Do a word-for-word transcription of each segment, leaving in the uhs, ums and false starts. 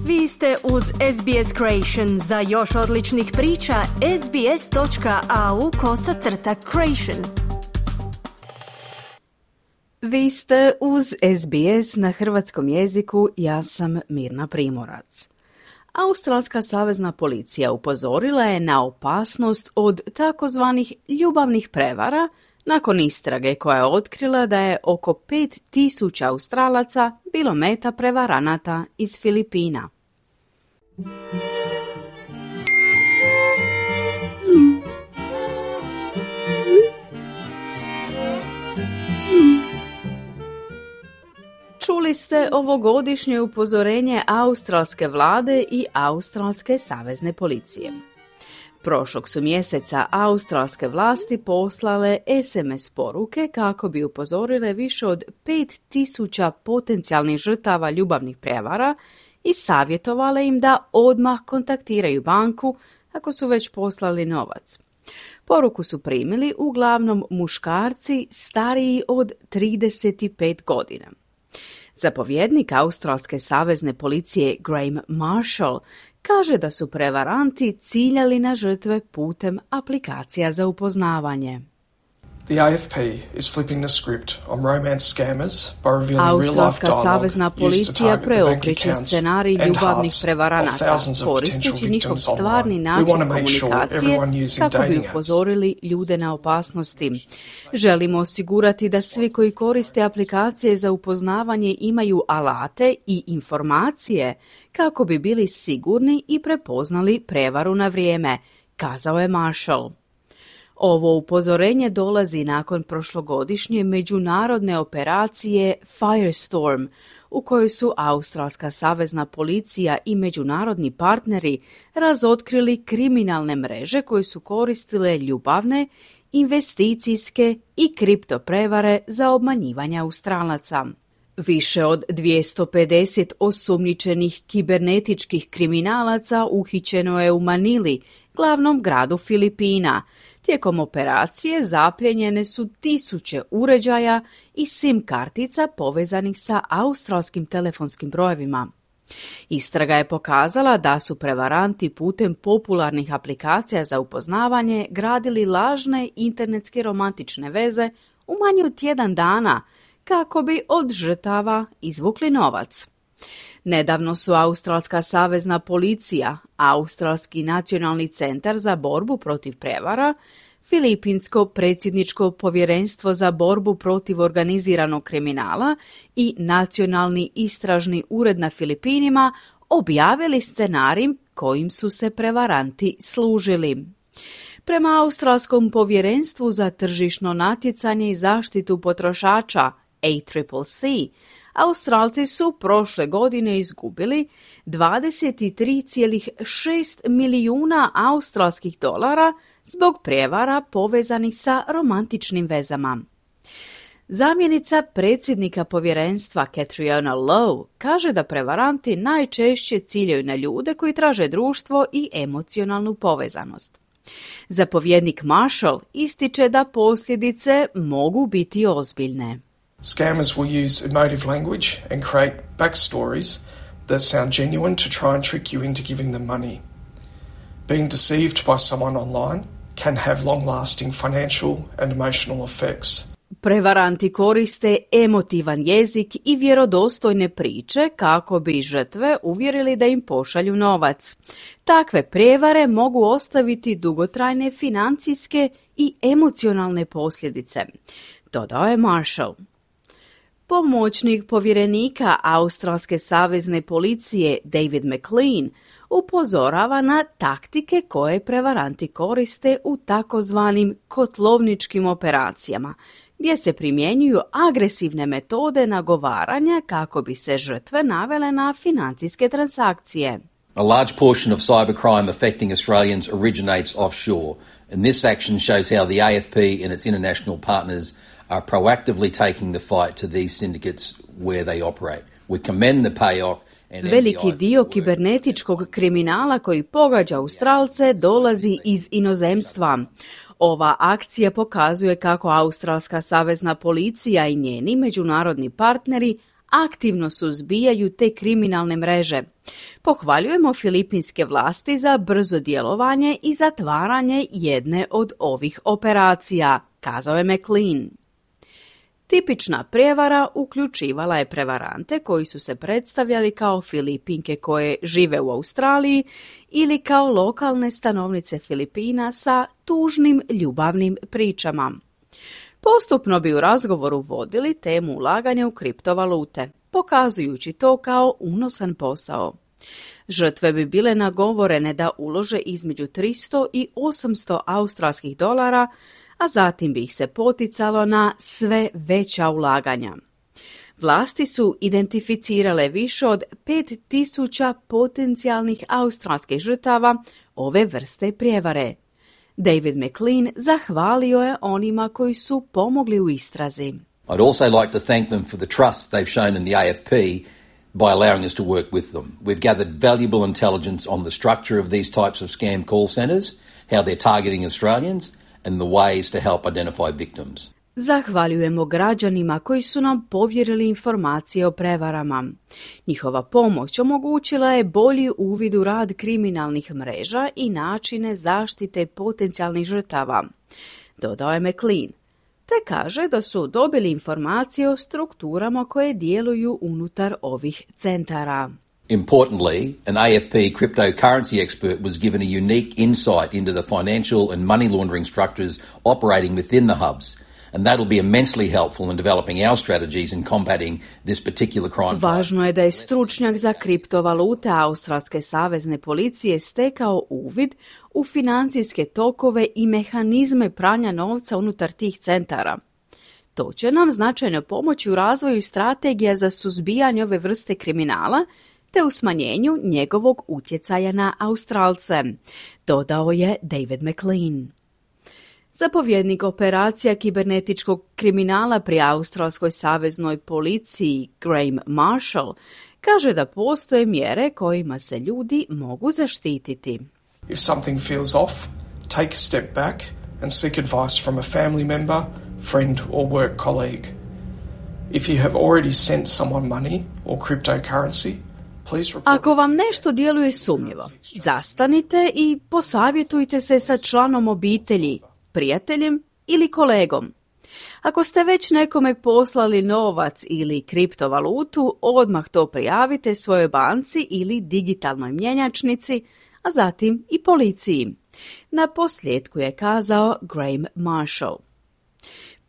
Vi ste uz S B S Creation. Za još odličnih priča, sbs.au kosacrta creation. Vi ste uz S B S na hrvatskom jeziku, ja sam Mirna Primorac. Australska savezna policija upozorila je na opasnost od takozvanih ljubavnih prevara nakon istrage koja je otkrila da je oko pet tisuća Australaca bilo meta prevaranata iz Filipina. Čuli ste ovogodišnje upozorenje australske vlade i australske savezne policije. Prošlog su mjeseca australske vlasti poslale es em es poruke kako bi upozorile više od pet tisuća potencijalnih žrtava ljubavnih prevara i savjetovale im da odmah kontaktiraju banku ako su već poslali novac. Poruku su primili uglavnom muškarci stariji od trideset pet godina. Zapovjednik australske savezne policije Graham Marshall kaže da su prevaranti ciljali na žrtve putem aplikacija za upoznavanje. The A F P is flipping the script on romance scammers by revealing Australska real-life savezna dialogue used to policija target the bank preokreće accounts scenarij and ljubavnih hearts of prevaranata, thousands of koristeći potential njihov victims stvarni online. We način want to make sure komunikacije everyone using kako bi dating apps upozorili ljude na opasnosti. Želimo osigurati da svi koji koriste aplikacije za upoznavanje imaju alate i informacije kako bi bili sigurni i prepoznali prevaru na vrijeme, kazao je Marshall. Ovo upozorenje dolazi nakon prošlogodišnje međunarodne operacije Firestorm, u kojoj su Australska savezna policija i međunarodni partneri razotkrili kriminalne mreže koje su koristile ljubavne, investicijske i kripto prevare za obmanjivanje Australaca. Više od dvjesto pedeset osumnjičenih kibernetičkih kriminalaca uhićeno je u Manili, glavnom gradu Filipina. Tijekom operacije zapljenjene su tisuće uređaja i sim kartica povezanih sa australskim telefonskim brojevima. Istraga je pokazala da su prevaranti putem popularnih aplikacija za upoznavanje gradili lažne internetske romantične veze u manje od tjedan dana kako bi od žrtava izvukli novac. Nedavno su Australska savezna policija, Australski nacionalni centar za borbu protiv prevara, Filipinsko predsjedničko povjerenstvo za borbu protiv organiziranog kriminala i Nacionalni istražni ured na Filipinima objavili scenarij kojim su se prevaranti služili. Prema Australskom povjerenstvu za tržišno natjecanje i zaštitu potrošača A C C C, Australci su prošle godine izgubili dvadeset tri zarez šest milijuna australskih dolara zbog prijevara povezanih sa romantičnim vezama. Zamjenica predsjednika povjerenstva Catriona Lowe kaže da prevaranti najčešće ciljaju na ljude koji traže društvo i emocionalnu povezanost. Zapovjednik Marshall ističe da posljedice mogu biti ozbiljne. Scammers will use emotive language and create backstories that sound genuine to try and trick you into giving them money. Being deceived by someone online can have long-lasting financial and emotional effects. Prevaranti koriste emotivan jezik i vjerodostojne priče kako bi žrtve uvjerili da im pošalju novac. Takve prijevare mogu ostaviti dugotrajne financijske i emocionalne posljedice, dodao je Marshall. Pomoćnik povjerenika Australske savezne policije David McLean upozorava na taktike koje prevaranti koriste u takozvanim kotlovničkim operacijama, gdje se primjenjuju agresivne metode nagovaranja kako bi se žrtve navele na financijske transakcije. A large portion of cybercrime affecting Australians originates offshore, and this action shows how the A F P and its international partners are proactively taking the fight to these syndicates where they operate. We commend the payoff. Veliki dio kibernetičkog kriminala koji pogađa Australce dolazi iz inozemstva. Ova akcija pokazuje kako Australska savezna policija i njeni međunarodni partneri aktivno suzbijaju te kriminalne mreže. Pohvaljujemo filipinske vlasti za brzo djelovanje i zatvaranje jedne od ovih operacija, kazao je McLean. Tipična prijevara uključivala je prevarante koji su se predstavljali kao Filipinke koje žive u Australiji ili kao lokalne stanovnice Filipina sa tužnim ljubavnim pričama. Postupno bi u razgovoru vodili temu ulaganja u kriptovalute, pokazujući to kao unosan posao. Žrtve bi bile nagovorene da ulože između tristo i osamsto australskih dolara, a zatim bi ih se poticalo na sve veća ulaganja. Vlasti su identificirale više od pet tisuća potencijalnih australskih žrtava ove vrste prijevare. David McLean zahvalio je onima koji su pomogli u istrazi. I'd also like to thank them for the trust they've shown in the A F P by allowing us to work with them. We've gathered valuable intelligence on the structure of these types of scam call centres, how they're targeting Australians, and the ways to help identify victims. Zahvaljujemo građanima koji su nam povjerili informacije o prevarama. Njihova pomoć omogućila je bolji uvid u rad kriminalnih mreža i načine zaštite potencijalnih žrtava, dodao je McLean, te kaže da su dobili informacije o strukturama koje djeluju unutar ovih centara. Importantly, an A F P cryptocurrency expert was given a unique insight into the financial and money laundering structures operating within the hubs, and that'll be immensely helpful in developing our strategies in combating this particular crime. Važno je da je stručnjak za kriptovalute Australske savezne policije stekao uvid u financijske tokove i mehanizme pranja novca unutar tih centara. To će nam značajno pomoći u razvoju strategija za suzbijanje ove vrste kriminala te u smanjenju njegovog utjecaja na Australce, dodao je David McLean. Zapovjednik operacija kibernetičkog kriminala pri Australskoj saveznoj policiji Graham Marshall kaže da postoje mjere kojima se ljudi mogu zaštititi. If something feels off, take a step back and seek advice from a family member, friend or work colleague. If you have already sent someone money or cryptocurrency, please report. Ako vam nešto djeluje sumnjivo, zastanite i posavjetujte se sa članom obitelji, prijateljem ili kolegom. Ako ste već nekome poslali novac ili kriptovalutu, odmah to prijavite svojoj banci ili digitalnoj mjenjačnici, a zatim i policiji. Na posljedku je kazao Graham Marshall.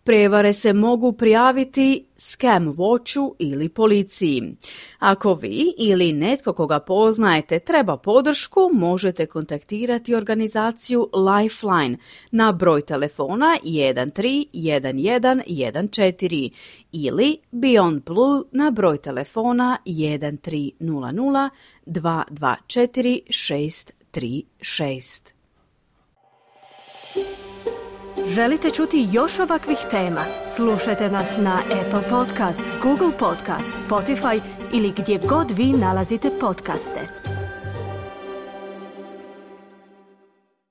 Prijevare se mogu prijaviti Scam Watchu ili policiji. Ako vi ili netko koga poznajete treba podršku, možete kontaktirati organizaciju Lifeline na broj telefona jedan tri jedan jedan jedan četiri ili Beyond Blue na broj telefona jedan tri nula nula dva dva četiri šest tri šest. Želite čuti još ovakvih tema? Slušajte nas na Apple Podcast, Google Podcast, Spotify ili gdje god vi nalazite podcaste.